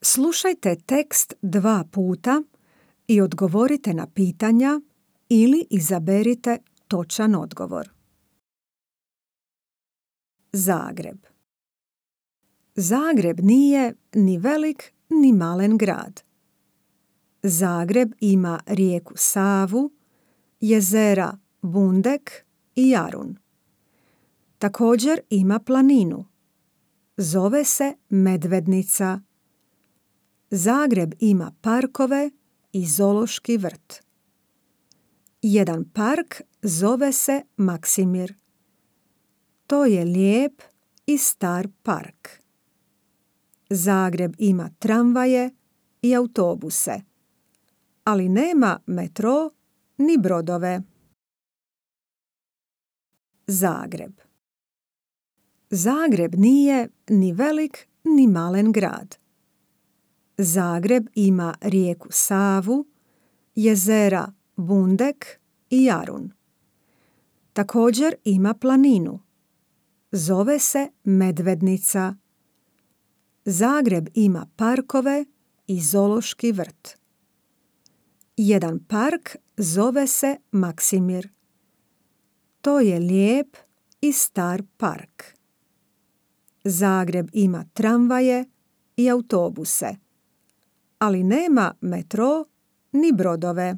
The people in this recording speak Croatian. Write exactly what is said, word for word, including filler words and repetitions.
Slušajte tekst dva puta i odgovorite na pitanja ili izaberite točan odgovor. Zagreb. Zagreb nije ni velik ni malen grad. Zagreb ima rijeku Savu, jezera Bundek i Jarun. Također ima planinu. Zove se Medvednica. Zagreb ima parkove i zoološki vrt. Jedan park zove se Maksimir. To je lijep i star park. Zagreb ima tramvaje i autobuse, ali nema metro ni brodove. Zagreb. Zagreb nije ni velik ni malen grad. Zagreb ima rijeku Savu, jezera Bundek i Jarun. Također ima planinu. Zove se Medvednica. Zagreb ima parkove i zoološki vrt. Jedan park zove se Maksimir. To je lijep i star park. Zagreb ima tramvaje i autobuse, ali nema metro ni brodove.